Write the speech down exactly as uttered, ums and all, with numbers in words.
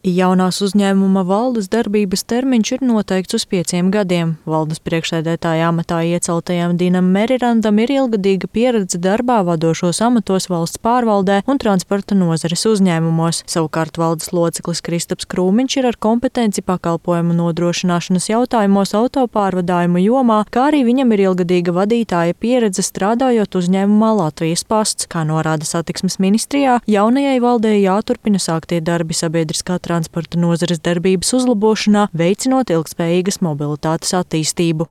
Jaunās uzņēmuma valdes darbības termiņš ir noteikts uz pieciem gadiem. Valdes priekšsēdētāja amatā ieceltajam Dinam Merirandam ir ilgadīga pieredze darbā vadošos amatos valsts pārvaldē un transporta nozares uzņēmumos. Savukārt valdes loceklis Kristaps Krūmiņš ir ar kompetenci pakalpojumu nodrošināšanas jautājumos autopārvadājumu jomā, kā arī viņam ir ilgadīga vadītāja pieredze strādājot uzņēmumā Latvijas Pasts. Kā norāda satiksmes ministrijā, jaunajai valdei jāturpina sāktie darbi sabiedriskā transporta nozares darbības uzlabošanā, veicinot ilgtspējīgas mobilitātes attīstību.